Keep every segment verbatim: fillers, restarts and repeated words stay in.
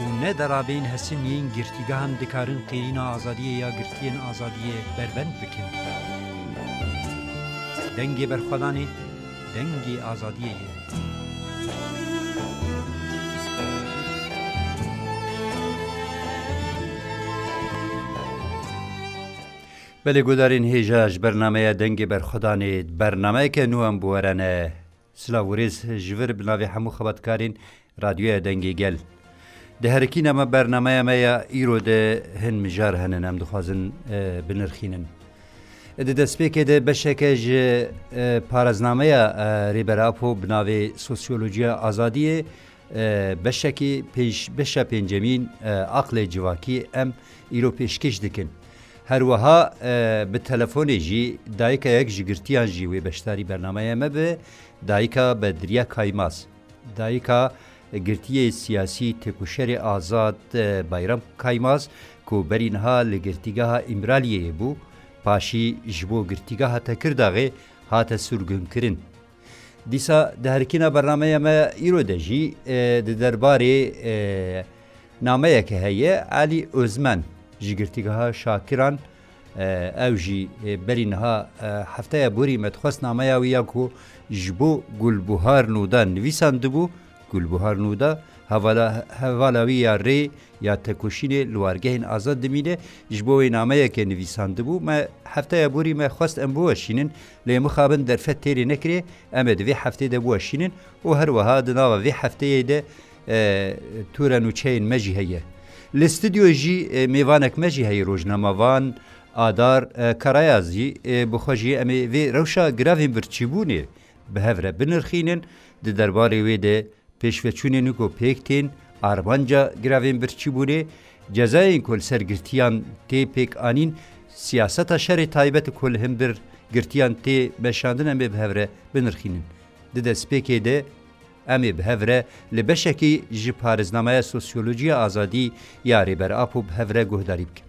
û ne derabeyên hesin yên girtîgehan dikarin qêrîna azadiyê ya girtiyên azadiyê berbend bikin. Dengê berxwedanê, dengê azadiyê ye. Belê gudarên hêja ji bernameya Dengê Berxwedanê, bernameyeke nû em bi we re ne. Silav û rêz ji vir bi navê hemû xebatkarên Radyoya Dengê Gel. Di herikîna me bernameya me ya îro de hin mijar henin em dixwazin, e, binirxînin. Di destpêkê de beşeke ji, e, paraznameya, e, Rêber Apo bi navê Sosyolojiya Azadiyê, e, beşekî pênc, beşa pêncemîn, e, Aqlê Civakî em îro pêşkêş dikin. Her wiha, e, bi telefonê jî dayika yek ji girtiyan jî wê beşdarî bernameya me be, dayika Bedriye Kaymaz. Dayika girtiyê siyasî têkoşerê azad, e, Bayram Kaymaz, ku berî niha li girtîgeha Îmraliyê bû, paşî ji bo girtîgeha Tekirdaxê hate sirgûnkirin. Dîsa di herikîna bernameya me îro de jî, e, di derbarê, e, nameyeke heye, Elî Ozmen ji girtîgeha Şakiran, e, ew jî, e, berî niha, e, hefteya borî me dixwest nameya wî ya ku ji bo Gulbuhar Nûda nivîsandibû, Gulbuhar Nûda hevala, hevala wî ya rê ya tekoşînê li wargehên azad dimîne, ji bo wê nameyeke nivîsandibû. Me hefteya borî me xwest em biweşînin, lê mixabin derfet têrê nekirê, em ê di vê heftê de biweşînin û her wiha di nava vê hefteyê de, e, tûre nûçeyên me jî heye. Li stûdyoyê jî, e, mêvanek me jî heye, rojnamevan Adar, e, Karayaz jî, e, bi xwe jî em ê vê rewşa giravên birçîbûnê bi hev re binirxînin, di derbarê wê de pêşveçûnên ku pêk tên, armanca giravên birçîbûnê, cezayên ku li ser girtiyan tê pêk anîn, siyaseta şerê taybet ku li hember girtiyan tê meşandin em ê bi hev re binirxînin. Di destpêkê de em ê bi hev re li beşekî ji parêznameya Sosyolojiya Azadî ya Rêber Apo bi hev re guhdarî bikin.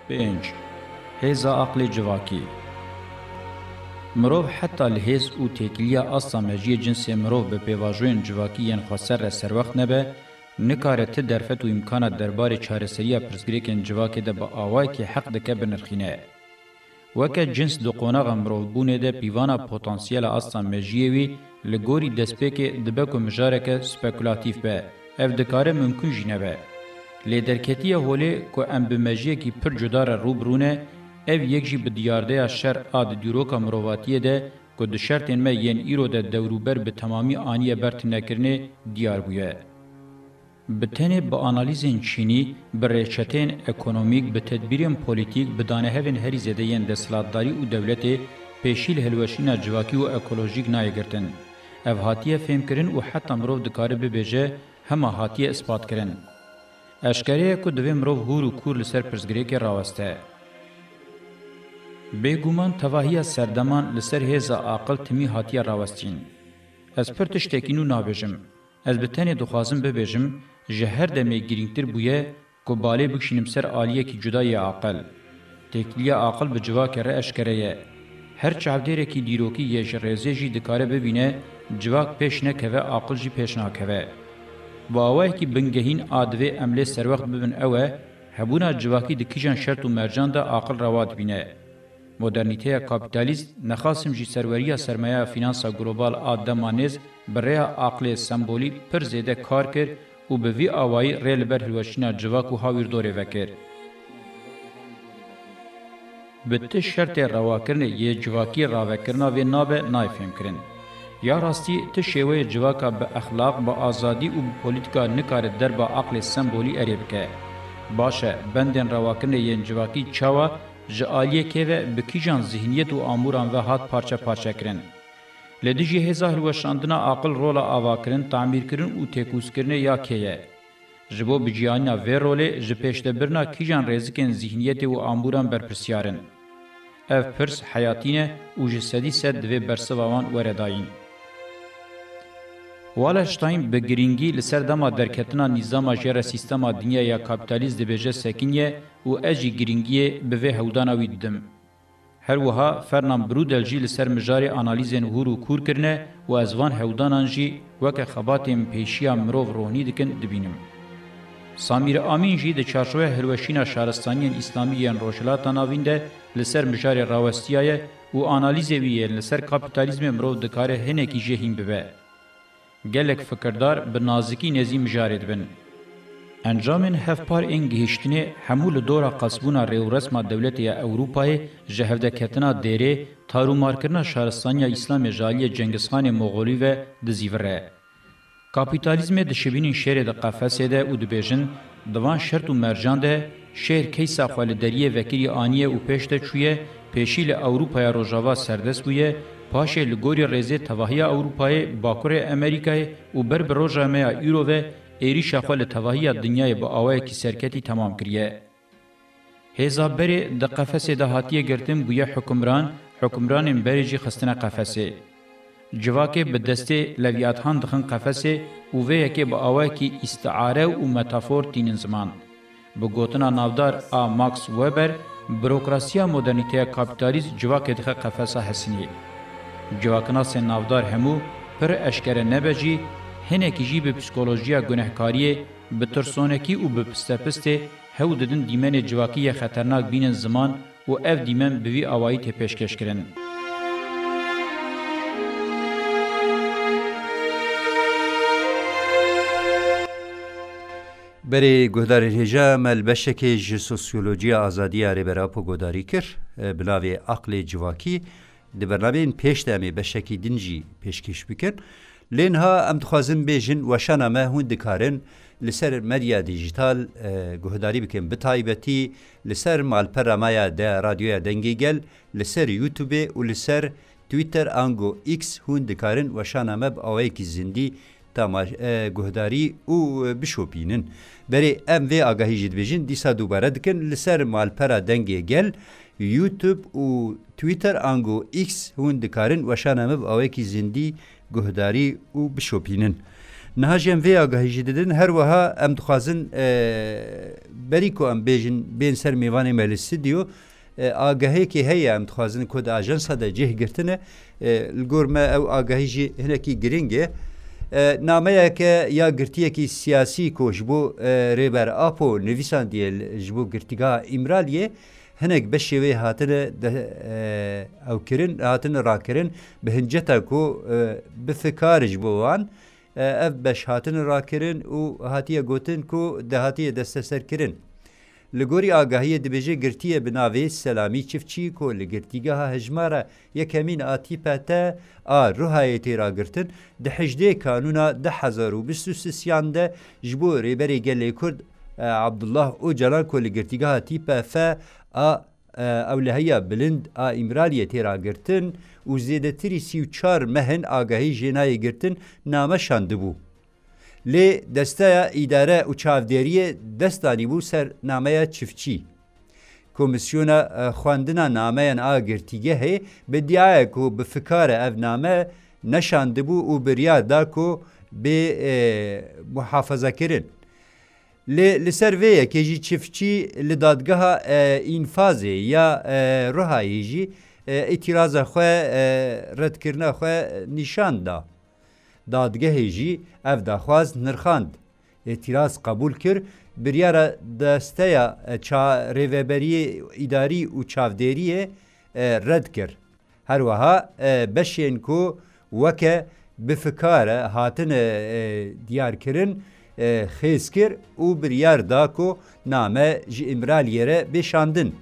Pênc. Hêza aqlê civakî. Mirov heta li hêz û têkiliya asta mejiyê cinsê mirov bi pêvajoyên civakî yên xweser re serwext nebe, nikare ti derfet û îmkana derbarê çareseriya pirsgirêkên civakê de bi awayekî heq dike binirxîne. Weke cins di qonaxa mirovbûnê de pîvana potansiyela asta mejiyê wî li gorî destpêkê dibe ku mijareke spekulatîf be, ev dikare mimkun jî nebe. Lê derketiye holê ku em bi mejiyekî pir cuda re rû bi rû ne, ev yek jî bi diyardeya şer a di dîroka mirovatiyê de ku di şertên me yên îro de dewrûber bi temamî aniye ber tunekirinê diyar bûye. Bi tenê bi analîzên çînî, bi rêçeteyên ekonomîk, bi tedbîrên polîtîk, bi danehevên herî zêde yên desthilatdarî û dewletê pêşî li hilweşîna civakî û ekolojîk nayê girtin. Ev hatiye fêmkirin û heta mirov dikare bibêje hema hatiye îspatkirin. Eşkere ye ku divê mirov hûr û kûr li ser pirsgirêkê raweste. Bêguman tevahiya serdeman li ser hêza aqil timî hatiye rawestîn. Ez pir tiştekî nû nabêjim. Ez bi tenê dixwazim bibêjim, ji her demê girîngtir bûye ku balê bikişînim ser aliyekî cuda yê aqil. Têkiliya aqil bi civakê re eşkere ye. Her çavdêrekî dîrokî yê ji rêzê jî dikare bibîne, civak pêş nekeve, aqil jî pêş nakeve. Bi awayekî bingehîn a divê em lê serwext bibin ew e, hebûna civakî di kîjan şert û mercan de aqil rewa dibîne. Modernîteya kapîtalîst, nexasim jî serweriya sermayeya fînansa global a dema nêz, bi rêya aqlê sembolî pir zêde kar kir û bi vî awayî rê li ber hilweşîna civak û hawîrdorê vekir. Bi ti şertê rewakirinê yê civakî ravekirina vê nabe nayê fêmkirin. Ya rastî, ti şêweyê civaka bi exlaq, bi azadî û bi polîtîka nikare derba aqlê sembolî erê bike. Baş e, bendên rewakirinê yên civakî çawa ji aliyê kê ve bi kîjan zihniyet û amûran ve hat parçe parçe kirin? Li dijî hêza hilweşandina aqil rola avakirin, tamîrkirin û têkûzkirinê ya kê ye? Ji bo biciyanîna vê rolê ji pêşdebirina kîjan rêzikên zihniyetê û amûran berpirsyar in? Ev pirs heyatî ne û ji sedî sed divê bersiva wan were dayîn. Wallerstein bi girîngî li ser dema derketina nîzama jêre sîstema dinya ya kapîtalîst dibêje sekiniye û ez jî girîngiyê bi vê hewdana wî didim. Her wiha Fernand Braudel jî li ser mijarê analîzên hûr û kûr kirine û ez van hewdanan jî weke xebatên pêşiya mirov rohnî dikin dibînim. Samîr Amîn jî di çarçoveya hilweşîna şaristaniyên îslamî yên Rojhilata Navîn de li ser mijarê rawestiyaye û analîzê wî yên li ser kapîtalîzmê mirov dikare hinekî jê hîn bibe. Gelek fikirdar bi nazikî nêzî mijarê dibin. Encamên hevpar ên gihîştinê hemû li dora qasbûna rêûresma dewletê ya Ewropayê ji hevdeketina dêrê, tarûmarkirina şaristaniya Îslamê ji aliyê Cengizxanê Moxolî ve dizîvire. Kapîtalîzmê dişibînin şêrê di qefesê de û dibêjin, di van şert û mercan de şêr keysa xwe li deriyê vekirî aniye û pêş de çûye, pêşî li Ewropaya Rojava serdest bûye, paşê li gorî rêzê tevahiya Ewropayê, Bakurê Amerîkayê û ber bi roja me ya îro ve êrîşa xwe li tevahiya dinyayê bi awayekî serketî temam kiriye. Hêza berê di qefesê de hatiye girtin bûye hukimran, hukimranên berê jî xistine qefesê. Civakê bi destê levîathan dixin qefesê û vê yekê bi awayekî îstiare û metafor tînin ziman. Bi gotina navdar a Max Weber, burokrasiya modernîteya kapîtalîst civakê dixe qefesa hesinî. Civaknasên navdar hemû, pir eşkere nebe jî, hinekî jî bi psîkolojiya gunehkariyê, bi tirsonekî û bi pistepistê hew didin dîmenê civakî yê xeternak bînin ziman û ev dîmen bi vî awayî tê pêşkêşkirin. Berê guhdarên hêja, me li beşekê ji sosyolojiya azadiya Rêber Apo guhdarî kir, bi navê Aqlê Civakî. Di bernameyên pêş de em ê beşekî din jî pêşkêş bikin. Lê niha em dixwazin bêjin, weşana me hûn dikarin li ser medya dîjîtal, e, guhdarî bikin. Bi taybetî li ser malpera me ya de, Radyoya Dengê Gel, li ser YouTube û li ser Twitter ango X hûn dikarin weşana me bi awayekî zindî tamaş-, e, guhdarî û, e, bişopînin. Berê em vê agahî jî dibêjin, dîsa dubare dikin, li ser malpera Dengê Gel, YouTube û Twitter ango X hûn dikarin weşana me bi awayekî zindî guhdarî û bişopînin. Niha jî em vê agahî jî didin, her wiha em dixwazin, e, berî ku em bêjin, bên ser mêvanê me li stûdyo, e, agahiyekê heye em dixwazin ku di ajansa de cih girtine. E, li gor me ew agahî jî hinekî giring e. E, nameyeke ya girtiyekî siyasî ku ji bo, e, Rêber Apo nivîsandiye, ji bo girtîgeha Îmraliyê, hinek beşê wê hatine de, e, ew kirin, hatine rakirin, bi hinceta ku, e, bi fikar ji bo wan, e, ev beş hatine rakirin û hatiye gotin ku de hatiye desteserkirin. Li gorî agahiyê dibêje girtiye bi navê Selamî Çiftçî ku li girtîgeha hejmara yekemîn a T P T a Ruhayê tê ragirtin, di hejdê Kanûna du hezar û bîst û sêyan de ji bo Rêberê Gelê Kurd, e, Abdullah Ocalan ku li girtîgeha T P F a, e, ewlehiya bilind a Îmraliyê tê ragirtin û zêdetirî sî û çar meh in agahî jê nayê girtin, name şandibû. Lê Desteya Îdare û Çavdêriyê dest danîbû ser nameya Çiftçî. Komîsyona, e, xwendina nameyan a girtîgehê bi diaye ku bi fikare ev name neşandibû û biryar da ku bê, e, muhafazakirin. Lê li ser vê yekê jî Çiftçî li dadgeha, e, înfazê ya, e, Ruhayê jî, e, îtîraza xwe, e, redkirina xwe nîşan da. Dadgehê jî ev daxwaz nirxand, îtîraz qebûl kir, biryara desteya, e, ça-, rêveberiyê îdarî û çavdêriyê, e, red kir. Her wiha, e, beşên ku weke bi fikare hatine, e, diyarkirin, e, xêz kir û biryar da ku name ji Îmraliyê re bê şandin.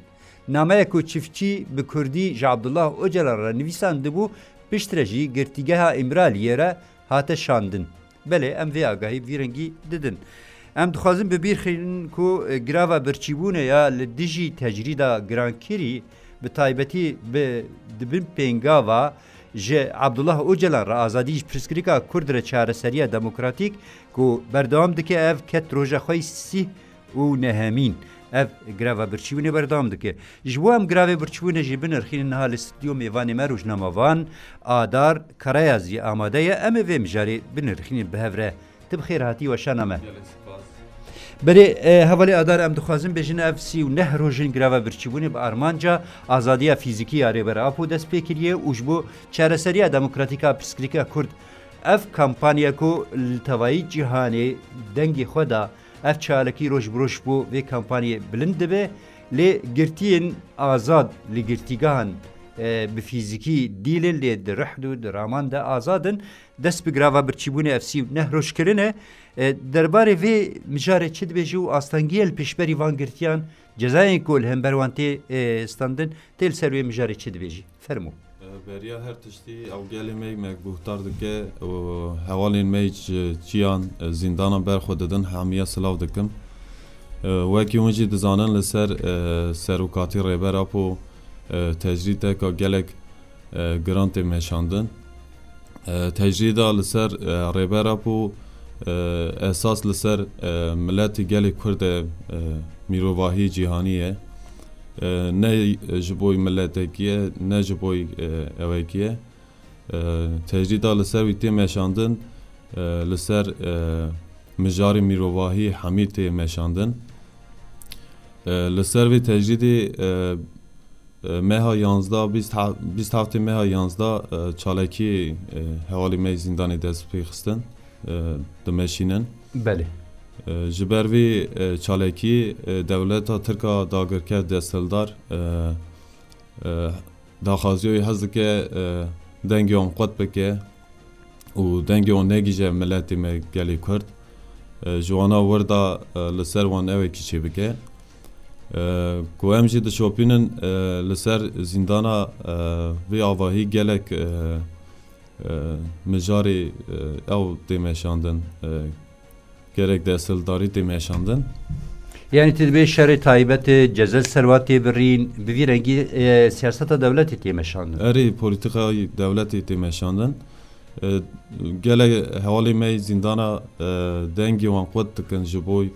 Nameya ku Çiftçî bi kurdî ji Abdullah Ocalan re nivîsandibû, piştre jî girtîgeha Îmraliyê re hate şandin. Belê, em vê agahî bi vî rengî didin. Em dixwazin bi bîr xînin ku, e, girava birçîbûnê ya li dijî tecrîda girankirî, bi taybetî bi, di bin pêngava ji Abdullah Ocalan re azadî, ji pirsgirêka Kurd re çareseriya demokratîk ku berdewam dike, ev ket roja xwe yî sîh û nehemîn. ev greva birçîbûnê berdewam dike. Ji bo em gravê birçîbûnê jî binirxînin, niha li stûdyo mêvanê me rojnamevan Adar Karayazî amade ye. Em ê vê mijarê binirxînin bi hev re. Tu bi xêr hatî weşana me. Gelek spas. Berê, e, hevalê Adar, em dixwazin bêjin ev sî û neh rojên greva birçîbûnê bi armanca azadiya fîzîkî ya Rêber Apo dest pê kiriye û ji bo çareseriya demokratîk a pirsgirêka Kurd ev kampanya ku li tevayî cîhanê dengê xwe da, ev çalakî roj bi roj bo vê kampanyê bilind dibe, lê girtiyên azad li girtîgehan, e, bi fîzîkî dîl in, lê di rihd û di raman de azad in. Dest bi grava birçîbûnê ev sî û neh roj kirine. E, derbarê vê mijarê çi dibêjî û astengiyê li pêşberî van girtiyan, cezayên ku li hember wan tê, e, standin, tê li ser wê mijarê çi dibêjî? Fermo. E, beriya her tiştî ew gelê me, me guhdar dike û hevalên me ji çiyan, e, zîndanan ber xwe didin, hemiya silav dikim. E, wekî hûn jî dizanin li ser, e, serokatî Rêber Apo, e, tecrîdeka gelek, e, giran tê meşandin. E, tecrîda li ser, e, Rêber Apo, e, esas li ser, e, miletî gelê Kurd e, e, mîrovahî cîhanî ye. E, ne ji bo miletekî ye, ne ji bo, e, ewekî ye. E, tecrîda li ser wî tê meşandin, e, li ser, e, mijarê mîrovahî hemî tê meşandin. E, li ser vê tecrîdê, e, e, meha yanzdeh, bîst he-, bîst heftê meha yanzdeh, e, çalakiyê, e, hevalê me yê zîndanê dest pê xistin, e, dimeşînin. Belê. E, ji ber vê, e, çalakiyê, e, dewleta Tirk a dagirker desthildar, e, e, daxwaziya wî hez dike, e, dengê wan qut bike û dengê wan negihîje miletê me gelê Kurd. E, ji wana wir da, e, li ser wan ewekî çêbike. E, ku em jî dişopînin, e, li ser zîndana, e, vê avahî gelek, e, e, mijarê, e, ew tê meşandin, e, gerek desthildarî tê meşandin. Yani tu dibê şerê taybet e, ceze li ser wan tê birîn, bi vî rengî, e, siyaseta dewletê tê meşandin. Erê, polîtîkayê dewletê tê meşandin. E, gelek hevalê me yê zîndana, e, dengê wan qut dikin ji bo, e,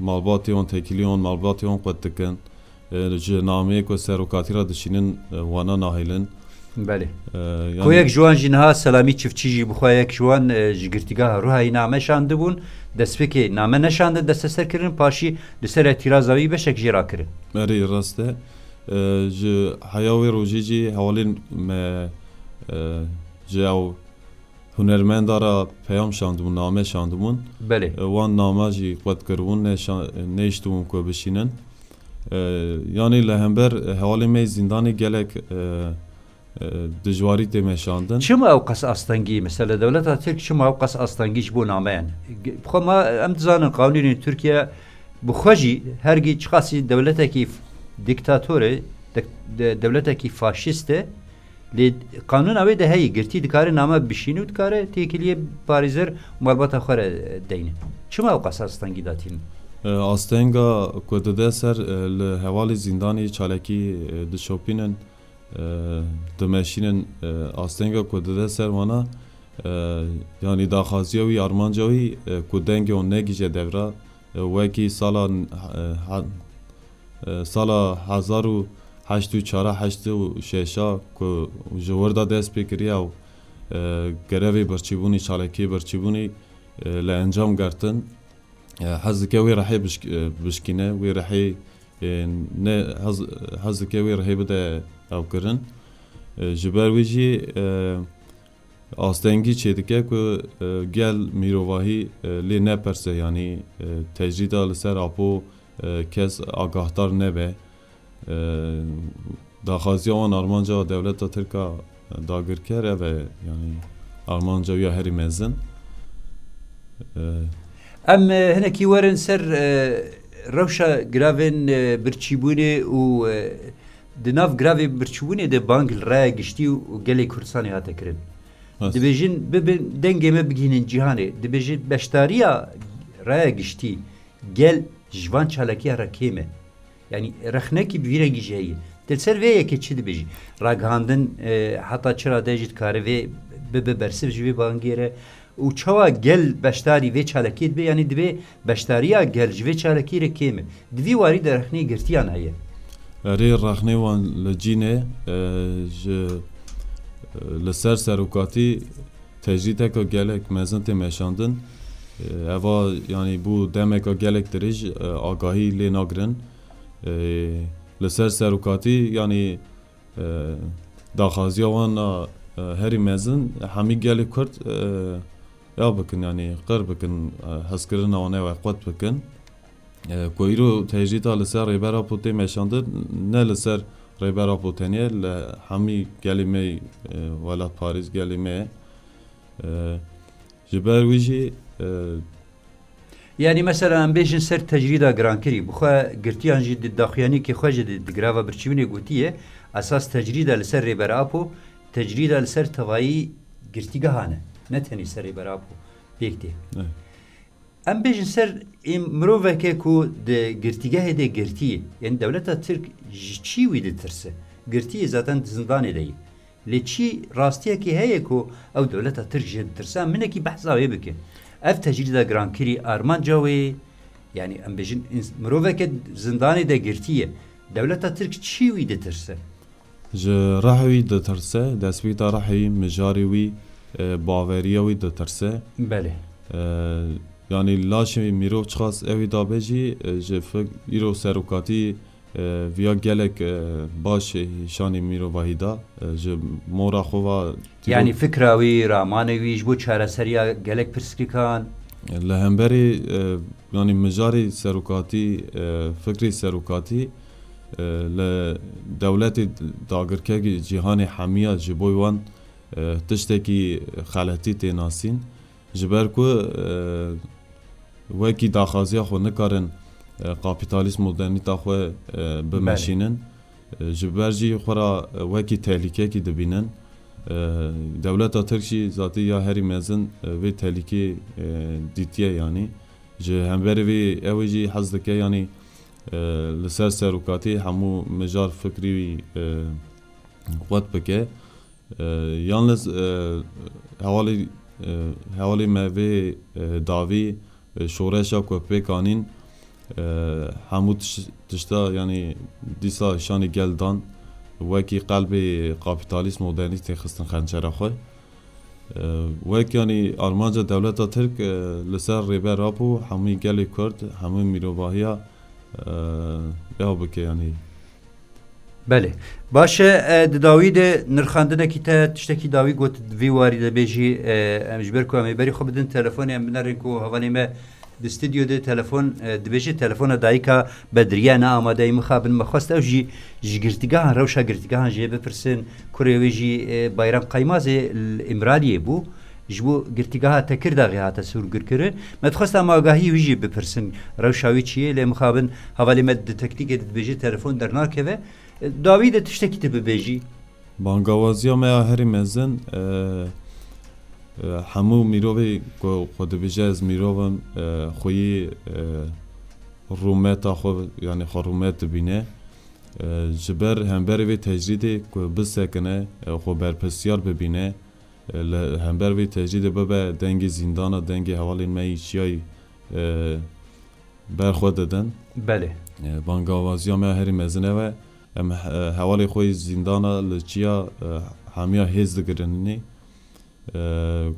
malbatê wan, têkiliyên wan, malbatê wan qut dikin. E, ji nameyê ku serokatî re dişînin, e, wana nahêlin. Belê. E, yani Ku yek ji wan jî niha Selamî Çiftçî jî bi xwe yek ji wan, e, ji girtîgeha Ruhayî name şandibûn, destpêkê name neşandin desteserkirin, paşî li ser îtîraza wî beşek jê rakirin. Erê, rast e. E, ji heya wê rojê jî hevalên me, e, ji ew hunermenda re peyam şandibûn, name şandibûn. Belê. E, wan name jî qut kiribûn, neşa-, nehiştibûn ku bişînin. E, yanî li hember hevalê me yê zîndanê gelek, e, e, dijwarî tê meşandin. Çima ew qas astengî? Mesela dewleta Tirk çima ew qas astengî ji bo nameyan? Ge-, xwe ma em dizanin qanûnên Tirkiye bi xwe jî hergî çiqasî dewletekî f-, dîktator e, de-, de-, dewletekî faşîst e, lê qanûna wê de heye, girtî dikare name bişîne û dikare têkiliyê parêzer û malbata xwe re deyne. Çima ew qas astengî datînin? E, astenga ku dide ser, e, li hevalê zîndanê çalakî, e, dişopînin, e, dimeşînin, e, astenga ku dide ser wana, e, yanî daxwaziya wî, armanca wî, e, ku dengê wan negihîje devra, e, wekî sala, e, ha-, e, sala hezar û heşt û çar, heşt û şeş a ku ji wir de dest pê kiriye û, e, grevê birçîbûnî, çalakiyê birçîbûnî, e, li encam girtin. E, hez dike wê rehê bişk-, e, bişkîne, wê rehê, e, ne, hez, hez dike wê rehê bide ew kirin. E, ji ber wî jî, e, astengî çêdike ku, e, gel mîrovahî, e, lê nepirse, yanî, e, tecrîda li ser Apo, e, kes agahdar nebe. E, daxwaziya wan, armanca dewleta Tirk a dagirker ev e, yanî armanca wî ya herî mezin. E, Em, e, hinekî werin ser, e, rewşa gravên, e, birçîbûnê û, e, di nav gravê birçîbûnê de bang li raya giştî û gelê Kurdistanê hate kirin. Rast. Dibêjin, bibin, dengê me bigihînin cîhanê. Dibêjin, beşdariya raya giştî gel ji van çalakiya re kêm e. Yanî rexnekî bi vî rengî jî heye. Te li ser vê yekê çi dibêjî? Ragihandin, e, heta çi rade jî dikare vê bibe bersiv ji vê bangê re Û çawa gel beşdarî vê çalakiyê dibe, yanî divê beşdariya gel ji vê çalakiyê re kêm e. Di vî warî de rexnê girtiyan heye. Erê, rexnê wan li cîn e, e, ji, e, li ser serokatî tecrîdeka gelek mezin tê meşandin. E, eva, yanî bû demeka gelek dirêj, e, agahî lê nagirin. E, li ser serokatî, yanî, e, daxwaziya wan a, e, herî mezin, hemî gelê Kurd, e, ya bikin, yanî qir bikin, e, hezkirina wan ê we qut bikin. E, ku îro tecrîda li ser Rêber Apo tê meşandin, ne li ser Rêber Apo tenê, li hemî gelê me, e, welatparêz gelê me ye. E, ji ber wî jî, e, Yanî mesela em bêjin ser tecrîda girankirî, bi xwe girtiyan jî di daxuyaniyekê xwe jî di, di girava birçîbûnê gotiye, esas tecrîda li ser Rêber Apo, tecrîda li ser tevayî girtîgehan e, ne tenê ser Rêber Apo pêk tê. Evet. Em bêjin ser ê miroveke ku di girtîgehê de girtî, yanî dewleta Tirk ji çî wî ditirse? Girtiyê zaten di zindanê de ye. Lê çi rastiyekî heye ku ew dewleta Tirk jê ditirse? Em hinekî behsa wê bikin. Ev tecrîda girankirî armanca wê, yanî em bêjin ins-, miroveke zindanê de girtî ye. Dewleta Tirk çi wî ditirse? Ji rihê wî ditirse, destpêta rihê wî, mijarê wî, e, baweriya wî ditirse. Belê. E, yanî laşê mirov çiqas ew ê dabe jî, e, ji fik-, îro serokatî, e, viya gelek, e, baş, e, şanê mirovahî da, e, ji mora xwe va tîro- Yanî fikra wî, ramanê wî ji bo çareseriya gelek pirsgirêkan. Li hemberî, e, yanî mijarê serokatî, e, fikrê serokatî, e, li dewletê dagirkekî cîhanê hemiya ji bo wan, e, tiştekî xeletî tê nasîn. Ji ber ku, e, wekî daxwaziya xwe nikarin, e, kapîtalîst modernîta xwe, e, bimeşînin. Belê. E, ji ber jî xwe ra, e, wekî tehlîkekî dibînin. E, dewleta Tirk jî zatî ya herî mezin, e, vê tehlîkê, e, dîtiye yanî. Ji hemberî vê ew ê jî hez dike yanî, e, li ser serokatî hemû mijar fikrî wî, e, qut bike. E, yalnız, e, hevalê, e, hevalê me vê, e, dawî, e, şoreşa ku pêk anîn, e, hemû tiş-, tişta, yanî dîsa şanî gel dan, wekî qelbê kapîtalîst modernîst tê xistin xençera xwe. E, wek, yanî armanca dewleta Tirk, e, li ser Rêber Apo hemû gelê Kurd, hemû mirovahiya, e, ew bike, yanî. Belê. Baş e, e, di dawî de nirxandinekî te tiştekî dawî got, di vî warî de bêjî, e, em ji ber ku em ê berî xwe bidin telefonê, em binerin ku hevalê me di stûdyo de telefon, e, dibêje telefona dayika Bedriye ne amade ye. Mixabin me xwest ew jî ji girtîgehan, rewşa girtîgehan jê bipirsin. Kurê wê jî, e, Bayram Qaymazê li Îmraliyê bû. Ji bo girtîgeha Tekirdaxê hate sûrgirkirin. Me dixwest em agahî wî jî bipirsin. Rewşa wî çi ye? Lê mixabin hevalê me di tektîkê de dibêje telefon dernakeve. Dawî de tiştekî tu bibêjî. Bangawaziya me ya herî mezin, e, e, hemû mirovê ku xwe dibêje ez mirov im, e, xweyî, e, rûmeta xwe, yanî xwe rûmet dibîne. E, ji ber hemberê vê tecrîdê ku bisekine, e, xwe berpirsiyar bibîne, e, li hember vê tecrîdê bibe dengê zîndana, dengê hevalên me yî çiyayî, e, ber xwe didin. Belê. E, bangawaziya me ya herî mezin ev e. Em he-, hevalê xwe yî zîndana li çiya, e, hemiya hêz digirinî. E,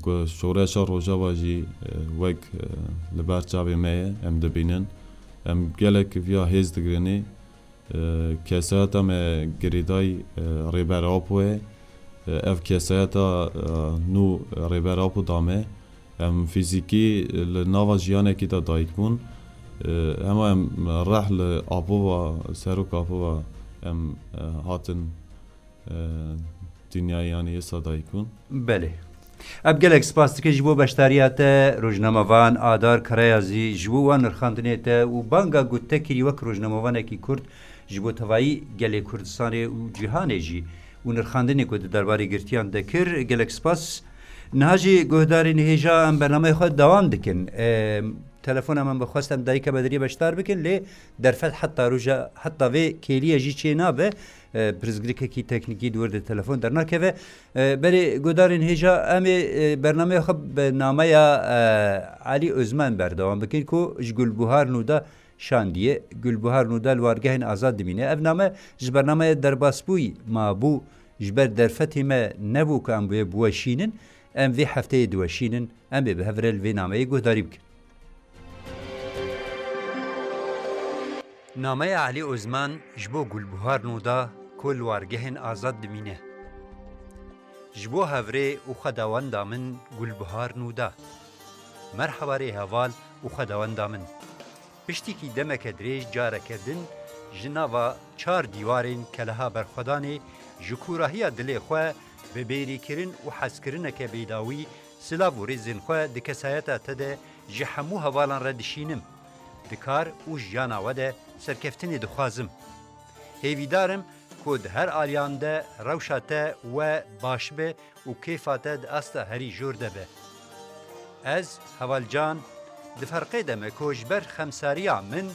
ku şoreşa Rojava jî, e, wek, e, li ber çavê me ye, em dibînin. Em gelek viya hêz digirinî. E, kesayeta me girêdayî, e, Rêber Apo ye. E, ev kesayeta, e, nû Rêber Apo da me. Em fîzîkî li nava jiyanekî de dayik bûn. E, hema em reh li Apo ve, serok Apo ve em, e, hatin, e, dinyayê, yanî êsa dayik bûn. Belê. Em gelek spas dikin ji bo beşdariya te, rojnamevan Adar Karayazî, ji bo wan nirxandinê te û banga ku te kirî wek rojnamevanekî Kurd ji bo tevayî gelê Kurdistanê û cîhanê jî û nirxandinê ku di derbarê girtiyan de kir. Gelek spas. Niha jî guhdarên hêja em bernameya xwe dewam dikin. Em, Telefona min bi xwest em dayika Bediriyê beşdar bikin, lê derfet heta roja, heta vê kêliyê jî çê nabe. E, pirsgirêkekî teknîkî di wir de telefon dernakeve. E, berê guhdarên hêja, em ê, e, bernameya xwe bi nameya, e, Elî Ozman berdewam bikin ku ji Gulbuhar Nûda şandiye. Gulbuhar Nûda li wargehên azad dimîne. Ev name ji bernameya derbasbûyî mabû, ji ber derfetê me nebû ku em wê biweşînin. Em vê hefteyê diweşînin. Em ê bi hev re li vê nameyê guhdarî bikin. Nameya Elî Ozman ji bo Gulbuhar Nûda ku li wargehên azad dimîne. Ji bo hevrê û xwedawenda min Gulbuhar Nûda. Merheba rê heval û xwedawenda min. Piştîkî demeke dirêj careke din ji nava çar dîwarên keleha berxwedanê ji kûrahiya dilê xwe bi bêrîkirin û hezkirineke bêdawî silav û rêzên xwe di kesayeta te de ji hemû hevalan re dişînim. Di kar û jiyana we de serkeftinê dixwazim. Hêvîdar im ku di her aliyan de rewşa te we baş be û kêfa te di asta herî jor de be. Ez, Heval Can, di ferqê de me ku ji ber xemsariya min,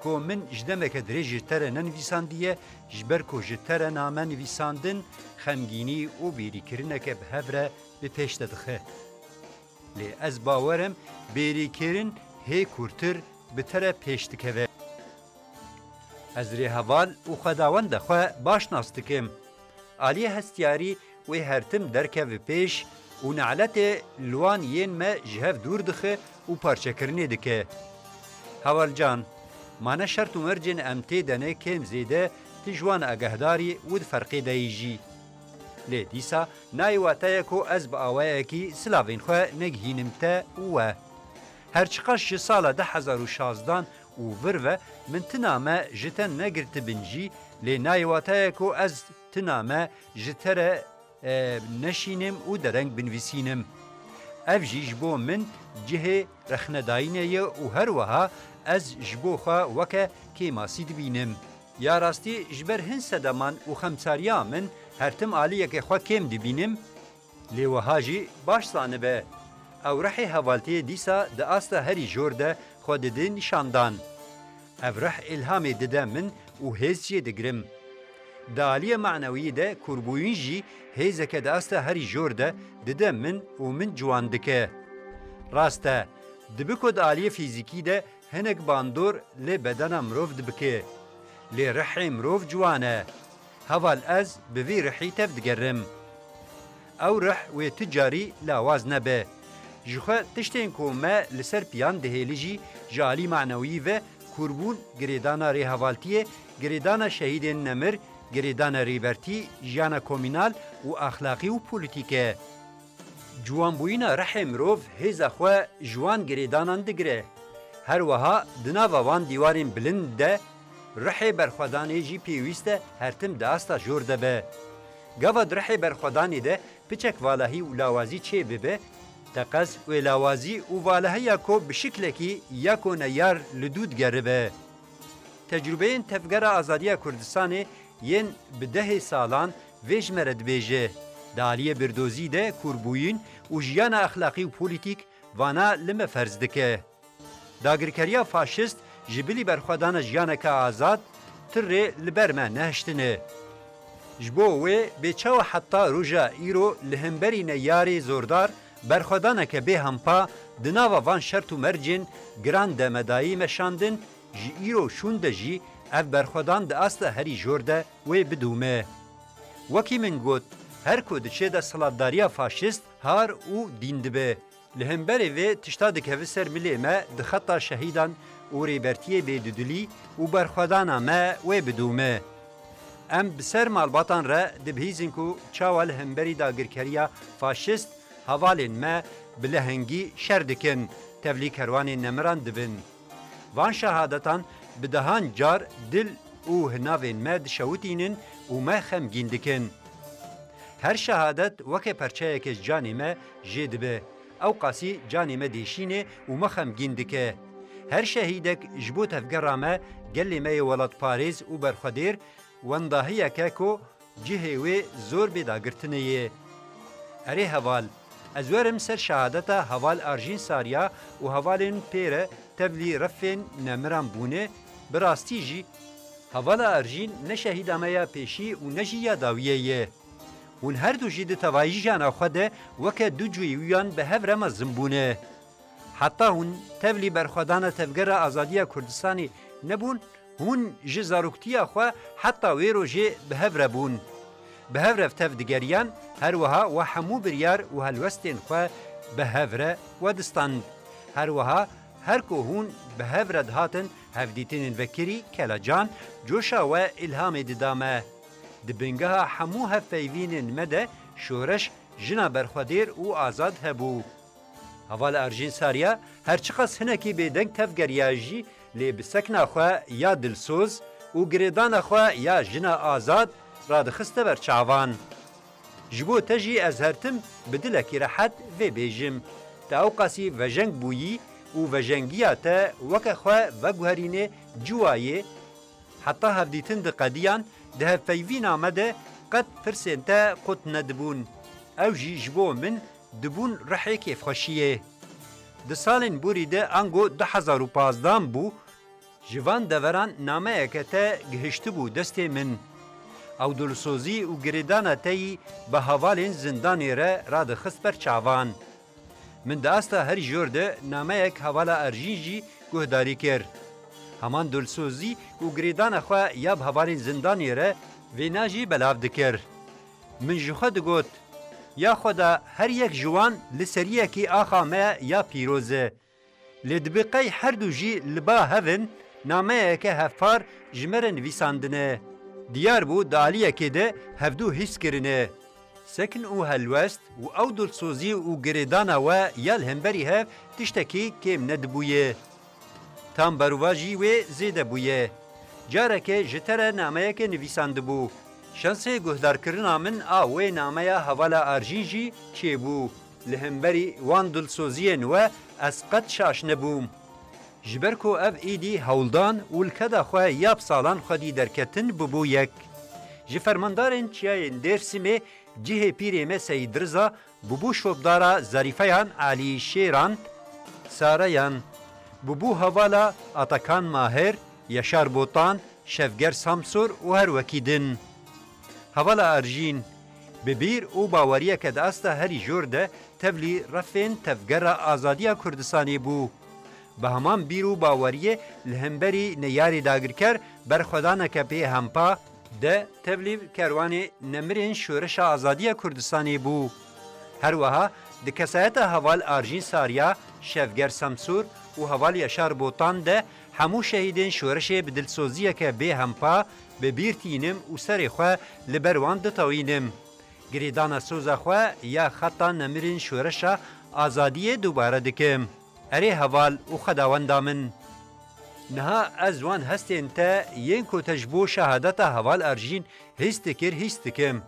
ku min ji demeke dirêj ji te re nenivîsandiye, ji ber ku ji te re name nivîsandin, xemgînî û bêrîkirineke bi hev re bi pêş te dixe. Lê ez bawer im bêrîkirin hê kûrtir bi te re pêş dikeve. Ez rêheval û xwedawenda xwe baş nas dikim. Aliyê hestiyarî wê her tim derkeve pêş û neletê li wan yên me ji hev dûr dixe û parçekirinê dike. Heval Can, ma ne şert û mercên em tê de ne kêm zêde tu ji wan agahdarî û di ferqê de yî jî. Lê dîsa nayê wateye ku ez bi awayekî silavên xwe negihînim te û we. Her çiqas ji sala du hezar û şazdan û vir ve min ti name ji te negirtibin jî, lê nayê wateye ku ez ti name ji te re, e, neşînim û dereng binivîsînim. Ev jî ji bo min cihê rexnedayînê ye û her wiha ez ji bo xwe weke kêmasî dibînim. Ya rastî ji ber hin sedeman û xemsariya min her tim aliyeke xwe kêm dibînim, lê wiha jî baş zanibe. Ew rihê hevaltiyê dîsa di asta herî jor de xwe dide nîşandan. Ev rih îlhamê dide min û hêz jê digirim. Di aliyê manewiyê de kûrbûyîn jî hêzeke di asta herî jor de dide min û min ciwan dike. Rast e, dibe ku di aliyê fîzîkî de hinek bandor li bedena mirov dibike. Lê rihê mirov ciwan e. Heval ez bi vî rihî tev digerim. Ew rih wê tu carî lawaz nebe. Jixwe tiştên ku me li ser piyan dihêlî jî ji alî manewî ve kûrbûn, girêdana rêhevaltiyê, girêdana şehîdên nemir, girêdana rêbertî, jiyana komînal û axlaqî û polîtîk e. Ciwanbûyîna rihê mirov hêza xwe ji wan girêdanan digire. Her wiha di nava van dîwarên bilind de rihê berxwedanê jî pêwîst e her tim di asta jor de be. Gava di rihê berxwedanê de piçek valahî û lawazî çê bibe, teqez wê lawazî û valahiya ku bi şiklekî ya ku neyar li dû digeribe. Tecrûbeyên Tevgera Azadiya Kurdistanê yên bi dehê salan vê ji me re dibêje, di aliyê birdozî de kûrbûyîn û jiyana exlaqî û polîtîk vana li me ferz dike. Dagirkeriya faşist ji bilî berxwedana jiyaneke azad ti rê li ber me nehiştine. Ji bo wê bê çawa heta roja îro li hemberî neyarê zordar berxwedaneke bê hempa di nava van şert û mercên giran de me dayî meşandin, ji îro şûn de jî ev berxwedan di asta herî jor de wê bidûme. Wekî min got, her ku diçe desthilatdariya faşist har û dîn dibe. Li hemberê vê tişta dikeve ser milê me di xeta şehîdan û rêbertiyê bê dudilî û berxwedana me wê bidûme. Em bi ser malbatan re dibihîzin ku çawa li hemberî dagirkeriya faşist hevalên me bi lehengî şer dikin, tevlî kerwanên nemiran dibin. Van şehadetan bi dehan car dil û hinavên me dişewitînin û me xemgîn dikin. Her şehadet weke perçeyeke ji canê me jê dibe. Ew qasî canê me dêşîne û me xemgîn dike. Her şehîdek ji bo tevgera me, gelê me yê welatparêz û berxwedêr, wendahiyeke ku cihê wê zor bê dagirtinê ye. Erê heval, ez werim ser şehadeta heval Arjîn Sarya û hevalên pê re tevlî refên nemiran bûne, bi rastî jî hevala Erjîn ne şehîda me ya pêşî û ne jî ya dawiyê ye. Hûn her du jî di tevayî jiyana xwe de weke du cûyî wiyan bi hev re mezin bûne. Heta hûn tevlî berxwedana Tevgera Azadiya Kurdistanê nebûn, hûn ji zaroktiya xwe heta wê rojê bi hev re bûn. Bi hev re tev digeriyan, her wiha we hemû biryar û helwestên xwe bi hev re wedistand. Her wiha her ku hûn bi hev re dihatin, hevdîtinên vekirî, kelecan, coşa we îlhamê dida me. Di bingeha hemû hevpeyvînên me de şoreş jina berxwedêr û azad hebû. Heval Erjîn Sarya her çiqas hinekî bêdeng tevgeriya jî, lê bi sekna xwe ya dilsoz û girêdana xwe ya jina azad radixiste ber çavan. Ji bo te jî ez her tim bi dilekî rehet vê bêjim. Te ewqasî vejeng bûyî û vejengiya te weke xwe veguherînê ciwayê, heta hevdîtin diqediyan, di hevpeyvîna me de qet pirsên te qut nedibûn. Ew jî ji bo min dibûn rihê kêfxweşiyê. Di salên borî de ango du hezar û pazdan bû, ji van deveran nameyeke te gihiştibû destê min. Ew dilsozî û girêdana te yî bi hevalên zindanê re radixist ber çavan. Min di asta herî jor de nameyek hevala Erjîn jî guhdarî kir. Heman dilsozî û girêdana xwe ya bi hevalên zindanê re vêna jî belav dikir. Min ji xwe digot, ya Xweda, her yek ji wan li seriyekî axa me ya pîroz e. Lê dibe qey her du jî li ba hev in, nameyeke hevpar ji me re nivîsandine. Diyar bû di aliyekê de hevdu hîs kirine. Sekn û helwest û ew dilsozî û girêdana we ya li hemberî hev tiştekî kêm nedibûye. Tam berovajî wê zêde bûye. Careke ji te re nameyeke nivîsandibû. Şansê guhdarkirina min a wê nameya hevala Arjîn jî çêbû. Li hemberî wan dilsoziyên we ez qet şaş nebûm. Ji ber ku ev êdî hewldan û li keda xwe ya bi salan xwedî derketin bûbû yek. Ji fermandarên çiyayên Dêrsimê cihê pîrê me Seyîd Riza bûbû şopdara Zarîfeyan, Elî Şêran, Sareyan, bûbû hevala Atakan Mahir, Yaşar Botan, Şevger Samsur û her wekî din. Hevala Arjîn, bi bîr û baweriyeke di asta herî jor de tevlî refên Tevgera Azadiya Kurdistanê bû. Bi heman bîr û baweriyê li hemberî neyarê dagirker berxwedaneke pê hempa de tevlî kerwanê nemirên Şoreşa Azadiya Kurdistanê bû. Her wiha di kesayeta heval Arjîn Sarya, Şevger Semsûr û heval Yaşar Botan de hemû şehîdên şoreşê bi dilsoziyeke bê hempa bi bîr tînim û serê xwe li ber wan ditewînim. Girêdana soza xwe ya xeta nemirên şoreşa azadiyê dubare dikim. Erê heval û xwedawenda min! Niha ez wan hestên te yên ku te ji bo şehadeta heval Arjîn hîs dikir, hîs dikim.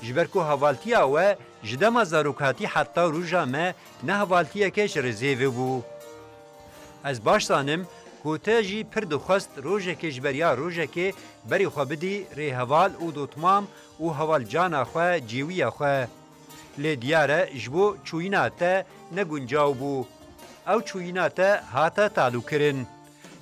Ji ber ku hevaltiya we ji dema zarokatî heta roja me ne hevaltiyeke ji rêzêvê bû. Ez baş zanim ku te jî pir dixwest rojekê ji beriya rojekê berê xwe bidî rêheval û dotmam û hevalcana xwe, cêwiya xwe. Lê diyar e ji bo çûyîna te ne guncaw bû. Ew çûyîna te hate talûkirin.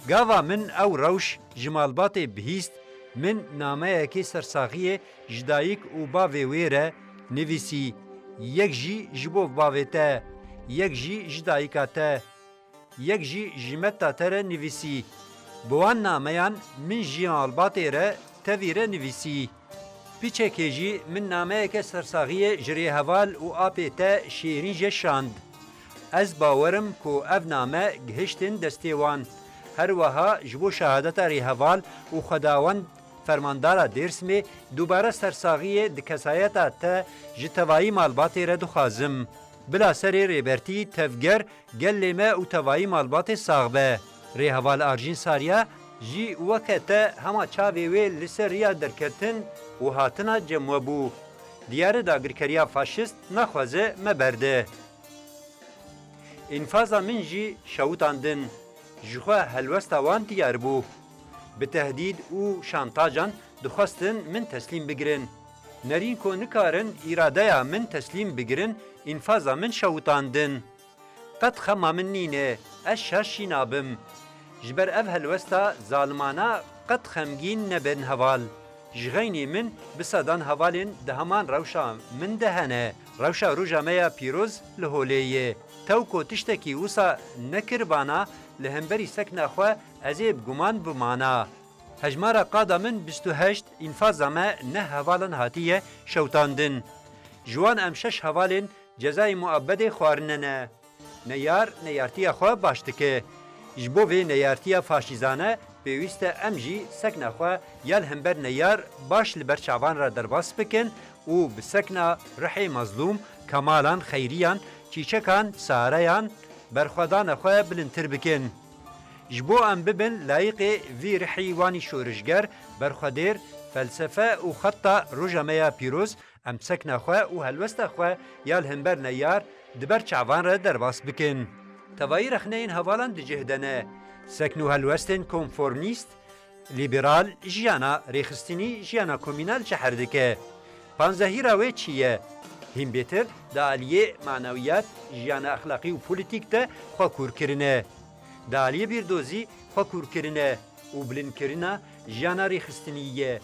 Gava min ew rewş ji malbatê bihîst, min nameyekê sersaxiyê ji dayik û bavê wê re nivîsî, yek jî ji bo bavê te, yek jî ji dayika te, yek jî ji meta te re nivîsî. Bi wan nameyan min ji malbatê re tevî re nivîsî. Piçekê jî min nameyeke sersaxiyê ji rêheval û apê te Şêrîn jê şand. Ez bawer im ku ev name gihiştin destê wan. Her wiha ji bo şehadeta rêheval û xwedawend fermandara Dêrsimê dubare sersaxiyê di kesayeta te ji tevayî malbatê re dixwazim. Bila serê Rêbertî, Tevger, gelê me û tevayî malbatê sax be. Rêheval Arjîn Sarya jî weke te hema çavê wê li ser riya derketin û hatina cem we bû. Diyar e dagirkeriya faşîst naxwaze me berde. Înfaza min jî şewitandin. Ji xwe helwesta wan diyar bû. Bi tehdîd û şantajan dixwestin min teslîm bigirin. Nerîn ku nikarin îradeya min teslîm bigirin, înfaza min şewitandin. Qet xema min nîne, ez şaş jî nabim. Ji ber ev helwesta zalimana qet xemgîn nebin heval. Ji xeynî min bi sedan hevalên di heman rewşa min de hene. Rewşa roja me ya pîroz li holê ye. Tew ku tiştekî wisa nekiribana li hemberî sekna xwe ez ê bi guman bimana. Hejmara qada min bîst û heşt, înfaza me neh hevalan hatiye şewtandin. Ji wan em şeş hevalên cezayê muabbedê xwarine ne. Neyar neyartiya xwe baş dike. Ji bo vê neyartiya faşîzane pêwîst e em jî sekna xwe ya li hember neyar baş li ber çavan re derbas bikin û bi sekna rihê mezlûm, kemalan, xeyriyan, çîçekan, sareyan berxwedana xwe bilindtir bikin. Ji bo em bibin layiqê vî rihî wanî şorişger, berxwedêr, felsefe û xeta roja me ya pîroz, em sekna xwe û helwesta xwe ya li hember neyar di ber çavan re derbas bikin. Tevayî rexneyên hevalan di cih de ne. Sekn û helwestên konformîst, lîberal, jiyana rêxistinî, jiyana komînal çeher dike. Panzehîra wê çi ye? Hîn bêtir di aliyê manewiyat, jiyana exlaqî û polîtîk de xwe kûr kirine. Di aliyê bîrdozî xwe kûr kirine û bilindkirina jiyana rêxistinî ye.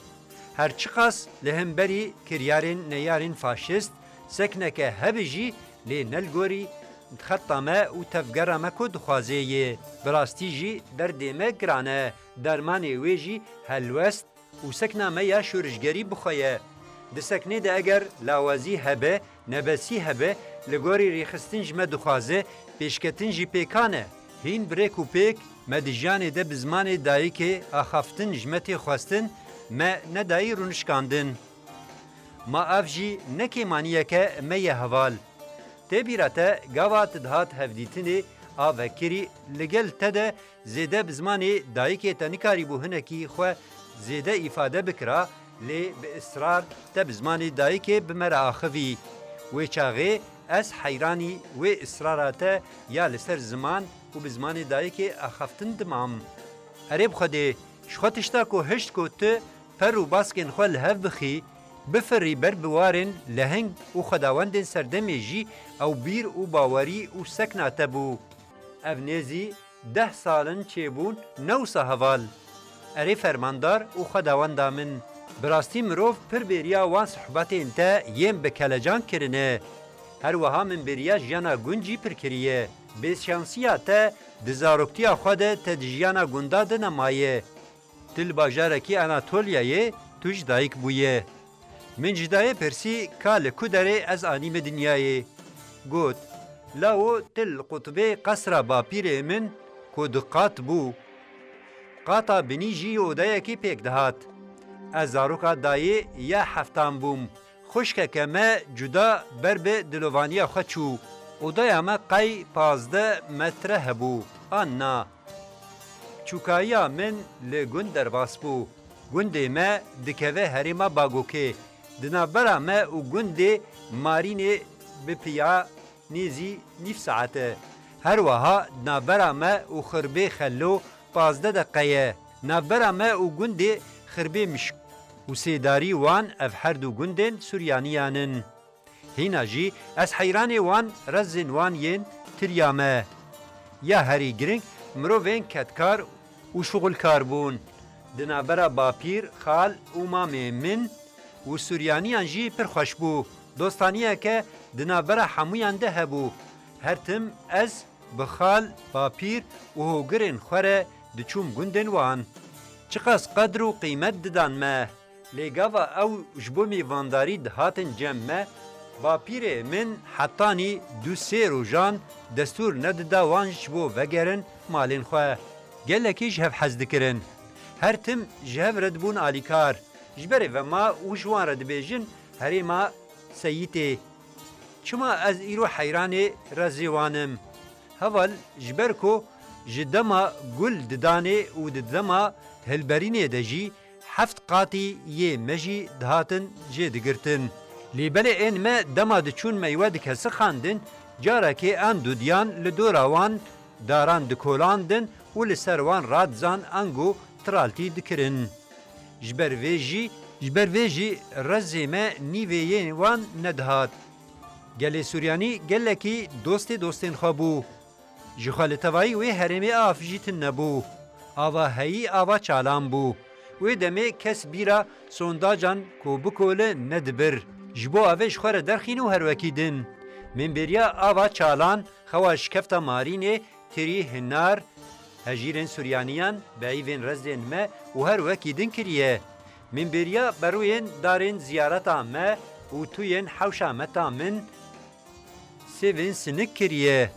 Her çiqas li hemberî kiryarên neyarên faşîst sekneke hebe jî, lê ne li gorî xeta me û tevgera me ku dixwaze ye. Bi rastî jî derdê me giran e. Dermanê wê jî helwest û sekna me ya şorişgerî bi xwe ye. Di seknê de eger lawazî hebe, nebesî hebe, li gorî rêxistin ji me dixwaze, pêşketin jî pêkan e. Hîn bi rêk û pêk me di jiyanê de bi zimanê dayikê axaftin ji me tê xwestin, me nedayî rûnişkandin. Ma ev jî ne kêmaniyeke me ye heval. Tê bîra te gava tu dihat hevdîtinê a vekirî li gel te de zêde bi zimanê dayikê te nikarîbû hinekî xwe zêde îfade bikira, lê bi israr te bi zimanê dayikê bi me re axivî. Wê çaxê ez heyranî wê israra te ya li ser ziman û bi zimanê dayikê axaftin dimam. Erê bi Xwedê, ji xwe tişta ku hişt ku tu per û baskên xwe li hev bixî, bifirî ber bi warên leheng û xwedawendên serdemê jî ew bîr û bawerî û sekna te bû. Ev nêzî deh sal in çêbûn, ne wisa heval? Erê fermandar û xwedawenda min, bi rastî mirov pir bêriya wan sohbetên te yên bi kelecan kirine. Her wiha min bêriya jiyana gund jî pir kiriye. Bêşansiya te di zaroktiya xwe de te di jiyana gunda de nemaye. Tu li bajarekî Anatolyayê tu ji dayik bûye. Min ji dayê pirsî ka li ku derê ez anîme dinyayê. Got, lawo tu li qutbê qesra bapîrê min ku du qat bû. Qata binî jî odayekî pêk dihat. Ez zaroka dayê ya heftan bûm. Xwişkeke me cuda ber bi dilovaniya xwe çû. Odaya me qey pazdeh metre hebû. An na. Çûkayiya min li gund derbas bû. Gundê me dikeve herêma Bagokê. Di navbera me û gundê Marînê bi piya nêzî nîv saet e. Her wiha di navbera me û Xirbê Xelo pazdeh deqe ye. Navbera me û gundê Xirbê Mişk û sêdarî wan ev her du gundên Suryaniyan in. Hîna jî ez heyranê wan rezên wan yên tiriya me. Ya herî giring mirovên kedkar û şuxulkar bûn. Di navbera bapîr, xal û mamê min û Suryaniyan jî pir xweş bû. Dostaniyeke di navbera hemûyan de hebû. Her tim ez bi xal, bapîr û hogirên xwe re diçûm gundên wan. Çiqas qedr û qîmet didan me. Lê gava ew ji bo mêvandarî dihatin cem me, bapîrê min hetanî du sê rojan destûr nedida wan ji bo vegerin malên xwe. Gelekî ji hev hez dikirin. Her tim ji hev re dibûn alîkar. Ji berê ve ma û ji wan re dibêjin herêma Seyîtê. Çima ez îro heyranê rezê wan im? Heval, ji ber ku ji dema gul didanê û di dema hilberînê de jî heft qatî yê me jî dihatin jê digirtin. Lê belê ên me dema diçûn meywe dikesixandin, carekê an dudiyan li dora wan daran dikolandin û li ser wan radizan ango tiraltî dikirin. Ji ber vê jî, ji ber vê jî rezê me nîvê yê wan nedihat. Gelê Suryanî gelekî dostê dostên xwe bû. Ji xwe li tevayî wê herêmê av jî tune bû. Ava heyî ava çalan bû. Wê demê kes bîra sondacan ku bikole nedibir. Ji bo avê ji xwe re derxîn û her wekî din. Mênbêriya ava çalan xewa şikefta Marînê, tirî, hinar, hejîrên Suryaniyan, beyîvên rezdên me û her wekî din kiriye. Mênbêriya berûyên darên ziyareta me û tuyên hewşa meta min, sêvên sinik kiriye.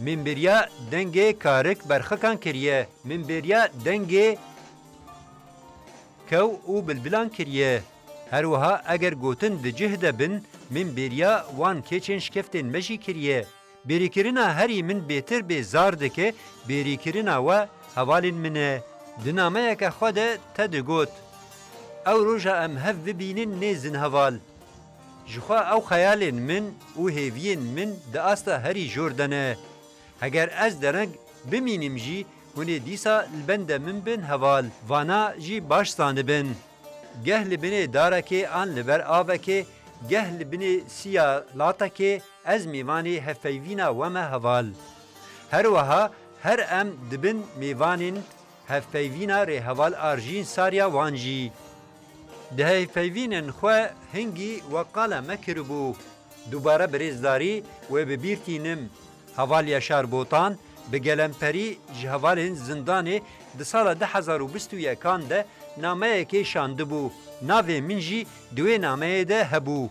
Mênbêriya dengê karik berxikan kiriye. Mênbêriya dengê kew û bilbilan kiriye. Her wiha eger gotin di cih de bin, mênbêriya wan keçên şikeftên me jî kiriye. Bêrîkirina herî min bêtir bê zar dike, bêrîkirina we hevalên min e. Di nameyeke xwe de te digot, ew roja em hev bibînin nêzin heval. Ji xwe ew xeyalên min û hêviyên min di asta herî jor de ne. Heger ez dereng bimînim jî, hûn ê dîsa li benda min bin heval. Vana jî baş zanibin. Geh li binê darekê an li ber avekê, geh li binê siya latekê ez mêvanê hevpeyvîna we me heval. Her wiha her em dibin mêvanên hevpeyvîna rêheval Arjîn Sarya wan jî. Di hevpeyvînên xwe hingî we qala me kiribû. Dubare bi rêzdarî wê bi bîr tînim. Heval Yaşar Botan bi gelemperî ji hevalên zindanê di sala du hezar û bîst û yekan de nameyekê şandibû. Navê min jî di wê nameyê de hebû.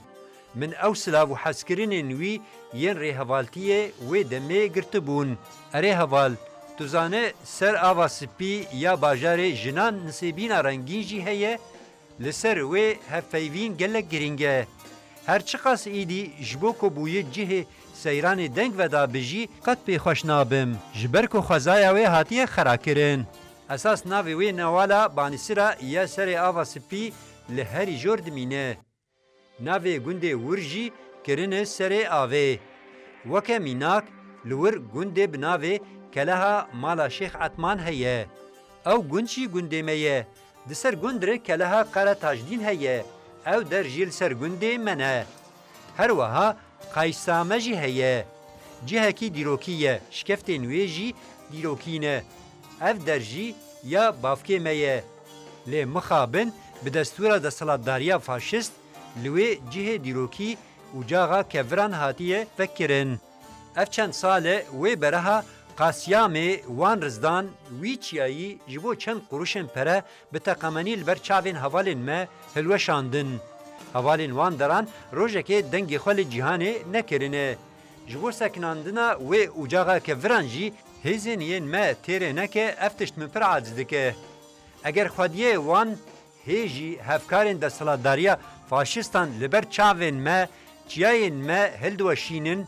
Min ew silav û hezkirinên wî yên rêhevaltiyê wê demê girtibûn. Erê heval, tu zane ser ava spî ya bajarê jinan nisêbîna rengîn jî heye, li ser wê hevpeyvîn gelek girîng e. Her çiqas îdî ji bo ku bûyî cihê seyranê deng veda bi jî qet pê xweş nabim. Ji ber ku xwezaya wê hatiye xerakirin. Esas navê wê newala banîsira ya serê ava spî li herî jor dimîne. Navê gundê wir jî kirine serê avê. Weke mînak, li wir gundê bi navê Keleha Mala Şêx Etman heye. Ew gund jî gundê me ye. Di ser gund re Keleha Qere Tajdîn heye. Ew der jî li ser gundê me ne. Her wiha Qaysame jî heye. Cihekî dîrokî ye, şikeftên wê jî dîrokî ne. Ev der jî ya bavkê me ye. Lê mixabin bi destûra desthilatdariya faşist li wê cihê dîrokî û caxa keviran hatiye vekirin. Ev çend sal e wê bereha Qasyamê wan rizdan wî çiyayî ji bo çend quruşên pere bi teqemenî li ber çavên hevalên me hilweşandin. Hevalên wan deran rojekê dengê xwe li cîhanê nekirine. Ji bo sekinandina wê ocaxa keviran jî hêzên yên me têrê neke, ev tişt min pir aciz dike. Eger xwediyê wan hê jî hevkarên desthilatdariya faşistan li ber çavên me, çiyayên me hildiweşînin,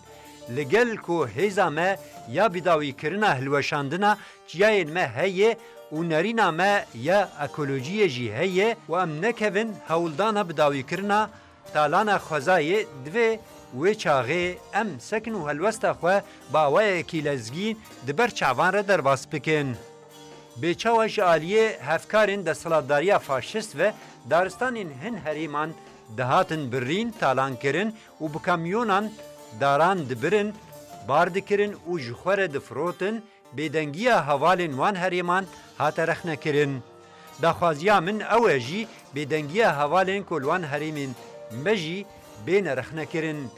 li gel ku hêza me ya bidawîkirina hilweşandina çiyayên me heye û nerîna me ya ekolojiyê jî heye û em nekevin hewldana bidawîkirina talana xwezayê, divê wê çaxê em sekin û helwesta xwe bi awayekî lezgîn di ber çavan re derbas bikin. Bê çawa ji aliyê hevkarên desthilatdariya faşist ve daristanên hin herêman dihatin birîn, talankirin û bi kamyonan daran dibirin, bar dikirin û ji xwe re difirotin, bêdengiya hevalên wan herêman hate rexnekirin. Daxwaziya min ew e jî bêdengiya hevalên ku li wan herêmên me jî bêne rexnekirin.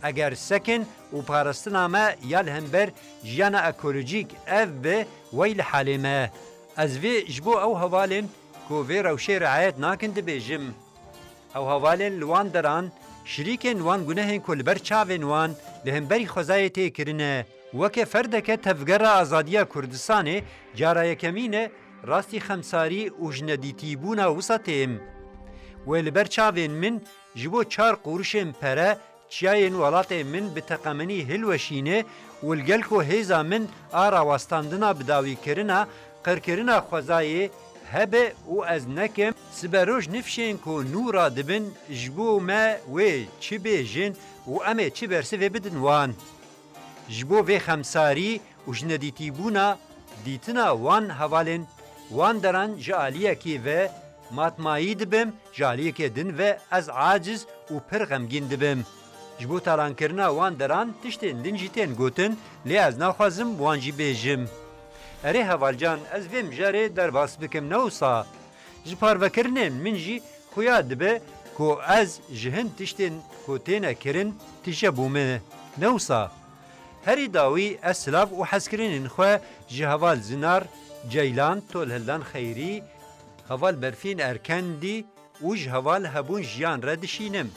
Eger sekin û parastina me ya li hember jiyana ekolojîk ev be, wey li halê me. Ez vê ji bo ew hevalên ku vê rewşê riayet nakin dibêjim. Ew hevalên li wan deran şirîkên wan gunehên ku li ber çavên wan li hemberî xwezayê tê kirine. Weke ferdeke Tevgera Azadiya Kurdistanê cara yekemîn e rastî xemsarî û jinedîtîbûna wisa têm. Wê li ber çavên min ji bo çar quruşên pere çiyayên welatê min bi teqemenî hilweşîne û li gel ku hêza min a rawestandina bidawîkirina qirkirina xwezayê hebe û ez nekim, siberoj nifşên ku nû radibin ji bo me wê çi bêjin û em ê çi bersivê bidin wan. Ji bo vê xemsarî û jinedîtîbûna dîtina wan hevalên wan deran ji aliyekî ve matmayî dibim, ji aliyekê din ve ez aciz û pir xemgîn dibim. Ji bo talankirina wan deran tiştên din jî tên gotin, lê ez naxwazim wan jî bêjim. Erê hevalcan, ez vê mijarê derbas bikim, ne wisa? Ji parvekirinên min jî xuya dibe ku ez ji hin tiştên ku têne kirin tije bûme, ne wisa? Herî dawî ez silav û hezkirinên xwe ji heval Zinar Ceylan, Tolhildan Xeyrî, heval Berfîn Erkendî û ji heval Hebûn Jiyan re dişînim.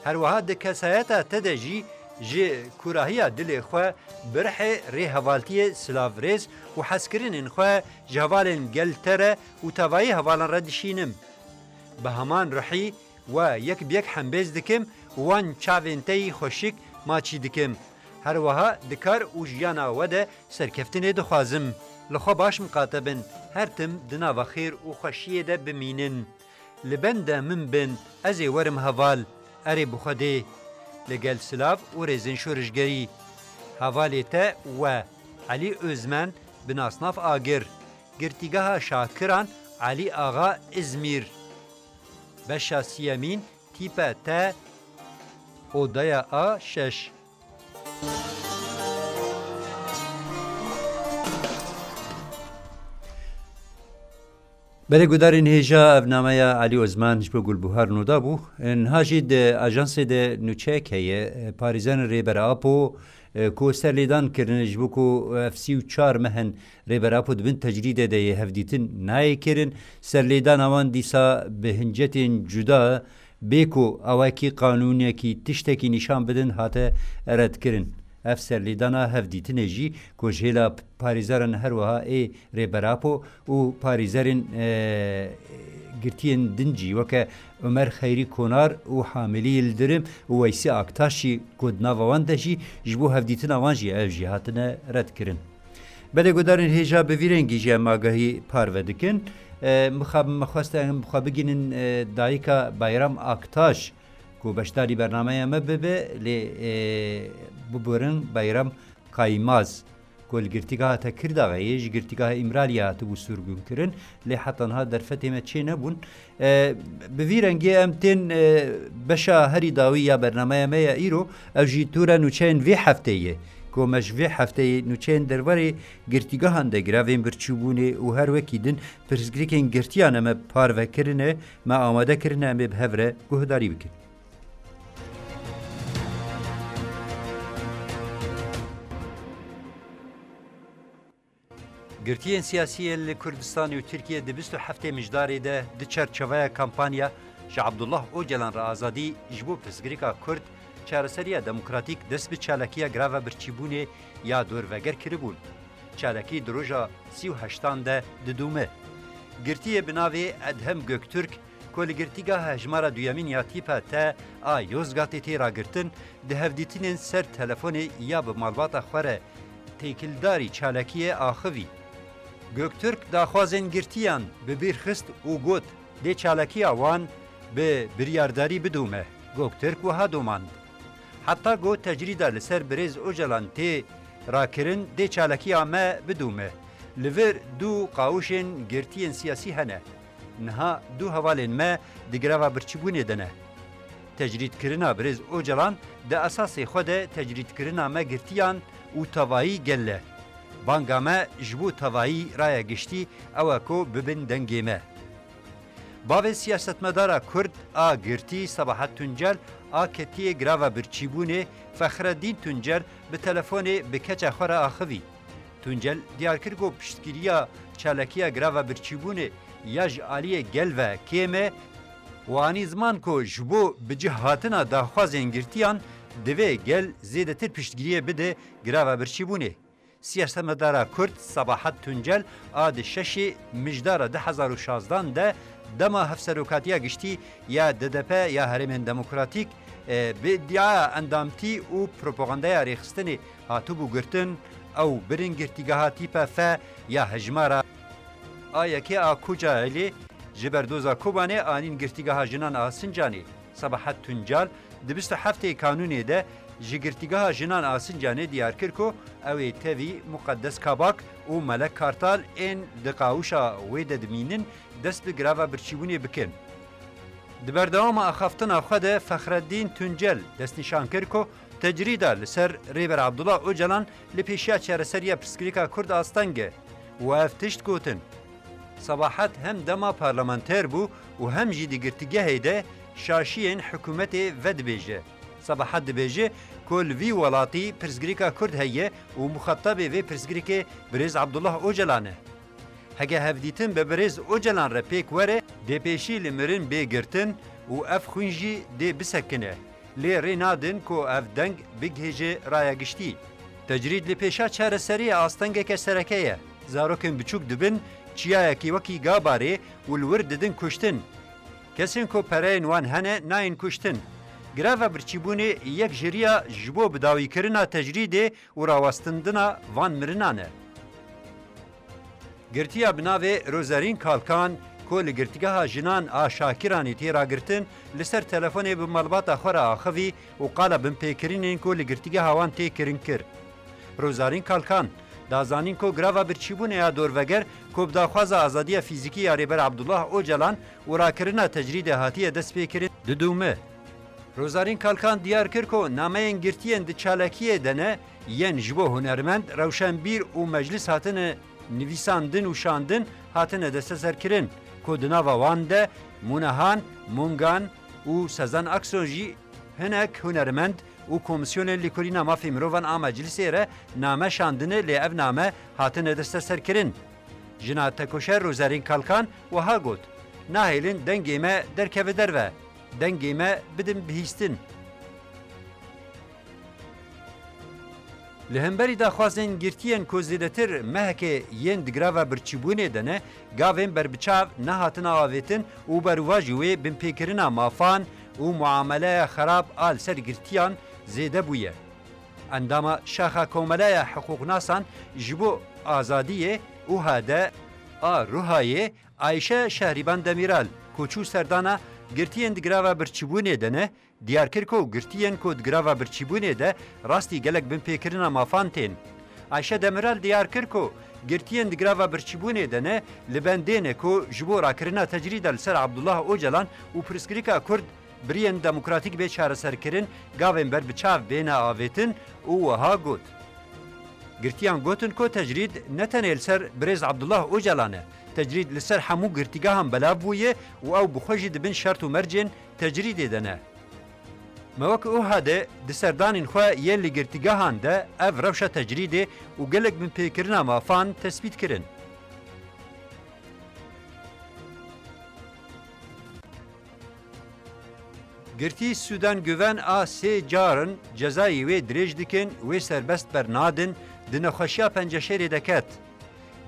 Her wiha di kesayeta te de jî ji kûrahiya dilê xwe bi rihê rêhevaltiyê, silavrêz û hezkirinên xwe ji hevalên gel te re û tevayî hevalan re dişînim. Bi heman rihî we yek bi yek hembêz dikim û wan çavên te yî xweşik maçî dikim. Her wiha di kar û jiyana we de serkeftinê dixwazim. Li xwe baş miqate bin, her tim di nava xêr û xweşiyê de bimînin. Li benda min bin, ez ê werim heval, erê bi Xwedê. Li gel silav û rêzên şorişgerî. Hevalê te we, Elî Ozmen, bi nasnav Agir, Girtîgeha Şakiran, Elî Axa, Îzmîr. Beşa siyemîn, tîpe te, odaya A şeş. Belê gudarên hêja, ev nameya Elî Ozman ji bo Gulbuhar nû da bû. Niha jî di ajansê de nûçeyek heye. Parêzanên Rêber Apo, e, ku serlêdan kirine, ji bo ku ev sî û çar meh in Rêber Apo di bin tecrîdê de ye, hevdîtin nayê kirin. Serlêdana wan dîsa bi hincetên cuda, bê ku awakî qanûnekî tiştekî nîşan bidin, hate redkirin. Ev serlêdana hevdîtinê jî ku ji hêla parêzeran her wiha ê Rêber Apo û parêzerên, e, girtiyên din jî weke Omer Xeyrî Konar û Hamilî Yildirim û Weysî Aktaş jî ku di nava wan de jî ji bo hevdîtina wan jî ev jî hatine redkirin. Belê gudarên hêja, bi vî rengî jî em agahî parve dikin. E, mixabin me xwest em bi xwe bigînin, e, dayika Bayram Aktaş ku beşdarî bernameya me bibe, lê, e, biborin Bayram Kaymaz ku li girtîgeha Tekirdaxê yê, ji girtîgeha Îmraliyê hatibû sirgûnkirin, lê heta niha derfetê me çê nebûn. E, bi vî rengê em tên, e, beşa herî dawî ya bernameya me ya îro, ew jî tûra nûçeyên vê hefteyê ye. Ku me ji vê hefteyê nûçeyên derbarê girtîgehan de, giravên birçîbûnê û her wekî din pirsgirêkên girtiyan me parve kirine, me amade kirine, em ê bi hev re guhdarî bikin. Girtiyên siyasî yên li Kurdistanê û Tirkiyê di bîst û heftê Mijdarê de di çerçeveya kampanya Ji Abdullah Ocalan re azadî ji bo pirsgirêka Kurd, çareseriya demokratîk dest bi çalakiya grava birçîbûnê ya dorveger kiribûn. Çalakî di roja sî û heştan de didome. Girtiyê bi navê Edhem Göktürk, ku li girtîgeha hejmara duyemîn ya tîpa T a Yozgatê tê ragirtin, di hevdîtinên ser telefonê ya bi malbata xwe re têkildarî çalakiyê axivî. Göktürk daxwazên girtiyan bi bîr xist û got, dê çalakiya wan bi biryardarî bidome. Göktürk wiha domand, heta ku tecrîda li ser birêz Ocalan tê rakirin, dê çalakiya me bidome. Li vir du qawişên girtiyên siyasî hene. Niha du hevalên me di greva birçîbûnê de ne. Tecrîdkirina birêz Ocalan di esasê xwe de tecrîdkirina me girtiyan û tevayî gel e. Banga me ji bo tevayî raya giştî ew e ku bibin dengê me. Bavê siyasetmedara Kurd a girtî Sabahat Tuncel a ketiyê greva birçîbûnê Fexreddîn Tuncel bi telefonê bi keça xwe re axivî. Tuncel diyar kir ku piştgiriya çalakiya greva birçîbûnê ya ji aliyê gel ve kêm e û anî ziman ku ji bo bi cih hatina daxwazên girtiyan divê gel zêdetir piştgiriyê bide greva birçîbûnê. Siyasetmedara Kurd Sabahat Tuncel a di şeşê Mijdara du hezar û şazdan de dema Hevserokatiya Giştî ya D D P ya Herêmên Demokratîk, e, bi îdiaya endamtî û propagandaya rêxistinê hatibû girtin, ew birin girtîgeha tîpa F ya hejmara A yekê a Kocaelê, ji berdoza Kobanê anîn girtîgeha jinan a Sincanê. Sabahat Tuncal di bîst û heftê Kanûnê de ji girtîgeha jinan a Sincanê diyar kir ku ew ê tevî Muqeddes Kabak û Melek Kartal ên di qawişa wê de dimînin dest bi greva birçîbûnê bikin. Di berdewama axaftina xwe de Fexreddîn Tuncel destnîşan kir ku tecrîda li ser Rêber Abdullah Ocalan li pêşiya çareseriya pirsgirêka Kurd asteng e û ev tişt gotin. Sabahat hem dema parlamenter bû û hem jî di girtîgehê de şaşiyên hikûmetê vedibêje. Sabahat dibêje ku li vî welatî pirsgirêka Kurd heye û muxatabê vê pirsgirêkê birêz Abdullah Ocalan e. Heke hevdîtin bi birêz Ocalan re pêk were, dê pêşî li mirin bê girtin û ev xwîn jî dê bisekine. Lê rê nadin ku ev deng bigihêje raya giştî. Tecrîd li pêşa çareseriyê astengeke sereke ye. Zarokên biçûk dibin çiyayekî wekî Gabarê û li wir didin kuştin. Kesên ku pereyên wan hene nayên kuştin. Greva birçîbûnê yek ji riya ji bo bidawîkirina tecrîdê û rawestindina van mirinan e. Girtiya bi navê Rozarîn Kalkan ku li Girtîgeha Jinan a Şakiranê tê ragirtin, li ser telefonê bi malbata xwe re axivî û qala binpêkirinên ku li girtîgeha wan tê kirin kir. Rozarîn Kalkan da zanîn ku greva birçîbûnê ya dorveger ku bi daxwaza azadiya fîzîkî ya Rêber Abdullah Ocalan û rakirina tecrîdê hatiye destpêkirin, didûme. Rozarîn Kalkan diyar kir ku nameyên girtiyên di çalakiyê de ne, yên ji bo hunermend, rewşenbîr û meclis hatine nivîsandin û şandin, hatine desteserkirin, ku di nava wan de Munehan, Mungan û Sezen Aksu jî hinek hunermend û komîsyonên lêkolîna mafê mirovan a meclisê re name şandine, lê ev name hatine desteserkirin. Jina tekoşer Rozarîn Kalkan wiha got, nahêlin dengê me derkeve derve, dengê me bidin bihîstin. Li hemberî daxwazên girtiyên ku zêdetir mehekê yên di greva birçîbûnê de ne, gavên berbiçav nehatine avêtin û berûvaji wê binpêkirina mafan û muameleya xerab a li ser girtiyan zêde bûye. Endama Şaxa Komeleya Hiqûqnasan ji bo Azadiyê, UHD, a Ruhayê, Ayşe Şehrîban Demîral, ku çû serdana girtiyên di greva birçîbûnê de ne, diyar kir ku girtiyên ku di greva birçîbûnê de rastî gelek binpêkirina mafan tên. Ayşe Demîral diyar kir ku girtiyên di greva birçîbûnê de ne, li bendê ne ku ji bo rakirina tecrîda li ser Abdullah Ocalan û pirsgirêka Kurd biriyên demokratîk bê çareserkirin, gavên berbiçav bêne avêtin û wiha got, girtiyan gotin ku tecrîd ne tenê li ser birêz Abdullah Ocalan e, tecrîd li ser hemû girtîgehan belav bûye û ew bi xwe jî di bin şert û mercên tecrîdê de ne. Me wek UHD di serdanên xwe yên li girtîgehan de ev rewşa tecrîdê û gelek binpêkirina mafan tespît kirin. Girtî Sûden Guven a sê carin cezayê wê dirêj dikin, wê serbest bernadin, di nexweşiya penceşêrê de ket.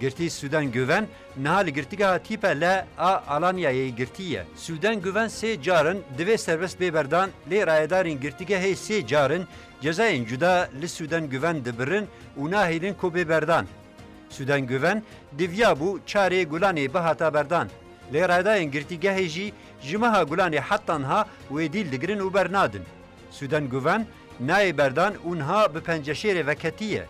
Girtî Sûden Guven niha li girtîgeha Tîpe L a Alanyayê girtî ye. Sûden Guven sê carin divê serbest bê berdan, lê rayedarên girtîgehê sê carin cezayên cuda li Sûden Guven dibirin û nahêlin ku bê berdan. Sûden Guven diviya bû çarê Gulanê bihata berdan. Lê rayedarên girtîgehê jî ji meha Gulanê heta niha wê dîl digirin û bernadin. Sûden Guven nayê berdan û niha bi penceşêrê veketiye.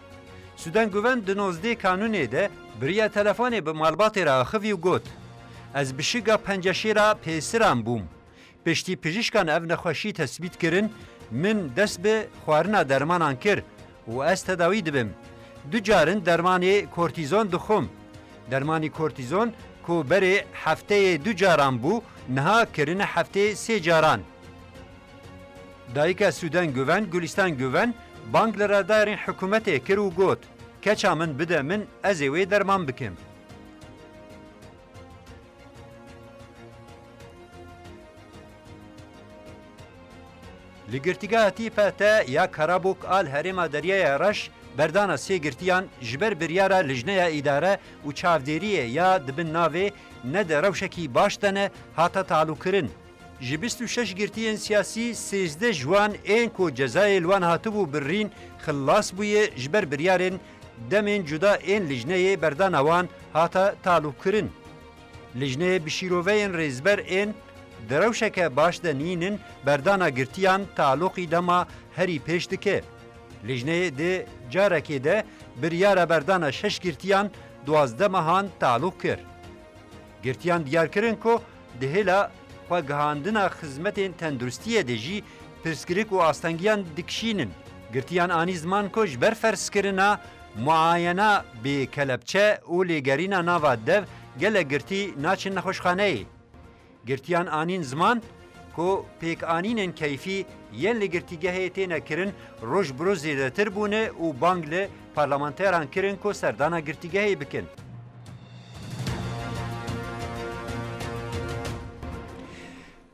Sûden Guven di nozdeh Kanûnê de bi riya telefonê bi malbatê re axivî û got, ez bi şiga penceşêra pêsiran bûm. Piştî pijîşkan ev nexweşî tesbît kirin, min dest bi xwarina dermanan kir û ez tedawî dibim. Du carin dermanê kortîzon dixwim. Dermanî kortîzon ku berê hefteyê du caran bû, niha kirine hefteyê sê caran. Dayika Sûden Guven, Gulîstan Guven, bang li rayedarên hikûmetê kir û got, keça min bide min, ez ê wê derman bikim. Li girtîgeha T P T ya Karabûk a li herêma Deryaya Reş berdana sê girtiyan ji ber biryara Lijneya Îdare û Çavdêriyê ya di bin navê ne di rewşekî baş de ne hate talûkirin. Ji bîst û şeş girtiyên siyasî, sêzdeh ji wan ên ku cezayê li wan hatibû birîn, xilas bûye ji ber biryarên demên cuda ên lijneyê berdana wan hate talûkkirin. Lijneyê bi şîroveyên rêzber ên di rewşeke baş de nînin, berdana girtiyan talûqî dema herî pêş dike. Lijneyê di carekê de biryara berdana şeş girtiyan duwazdeh mehan talûq kir. Girtiyan diyar kirin ku di hêla xwegihandina xizmetên tenduristiyê de jî pirsgirêk û astengiyan dikişînin. Girtiyan anî ziman ku ji ber ferzkirina muayena bi kelepçe û lêgerîna nava dev gelek girtî naçin nexweşxaneyê. Girtiyan anîn ziman ku pêkanînên keyfî yên li girtîgehê têne kirin roj bi roj zêdetir bûne û bang li parlamenteran kirin ku serdana girtîgehê bikin.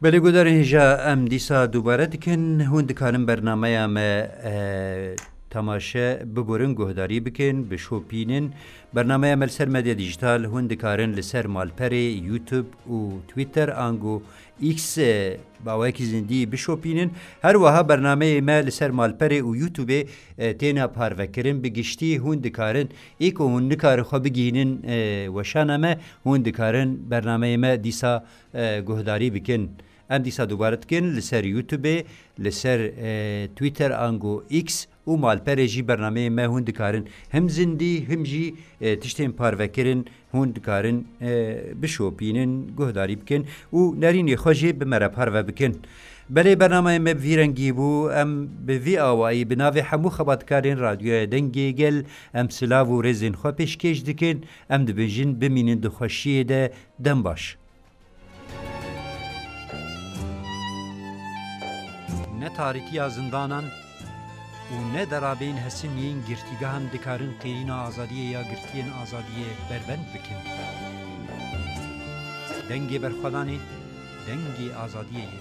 Belê guhdarên hêja, em dîsa dubare dikin. Hûn dikarin bernameya me, e, temaşe biborin, guhdarî bikin, bişopînin. Bernameya me li ser medya dîjîtal hûn dikarin li ser malperê YouTube û Twitter ango X, e, bi awayekî zindî bişopînin. Her wiha bernameyê me li ser malperê û YouTubeê, e, têne parvekirin. Bi giştî hûn dikarin, ê ku hûn nikarin xwe bigihînin, e, weşana me, hûn dikarin bernameyê me dîsa, e, guhdarî bikin. Em dîsa dubare dikin li ser YouTubeê, li ser, e, Twitter ango X û malperê jî bernameyê me hûn dikarin him zindî, him jî, e, tiştên parvekirin hûn dikarin, e, bişopînin, guhdarî bikin û nerînê xwe jî bi me re parve bikin. Belê bernameyê me bi vî rengî bû. Em bi vî awayî bi navê hemû xebatkarên Radyoya Dengê Gel em silav û rêzên xwe pêşkêş dikin. Em dibêjin bimînin di xweşiyê de, dem baş. Ne tarîtiya zindanan û ne derabeyên hesin yên girtîgehan dikarin qêrîna azadiyê ya girtiyên azadiyê berbend bikin. Dengê berxwedanê, dengê azadiyê ye.